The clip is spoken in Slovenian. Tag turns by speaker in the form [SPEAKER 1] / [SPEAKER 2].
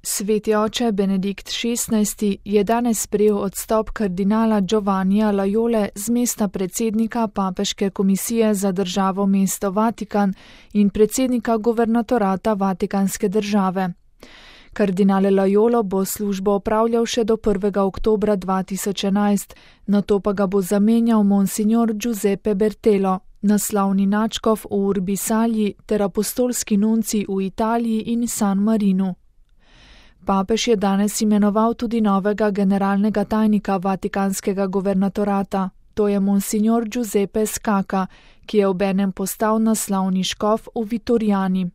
[SPEAKER 1] Sveti oče Benedikt XVI je danes sprejel odstop kardinala Giovannija Laiole z mesta predsednika Papeške komisije za državo mesto Vatikan in predsednika guvernatorata Vatikanske države. Kardinal Laiolo bo službo opravljal še do 1. oktobra 2011, nato pa ga bo zamenjal monsignor Giuseppe Bertelo, naslovni nadškof v Urbi Salji ter apostolski nuncij v Italiji in San Marinu. Papež je danes imenoval tudi novega generalnega tajnika Vatikanskega guvernatorata, to je monsignor Giuseppe Scacca, ki je obenem postal naslovni škof v Vitoriani.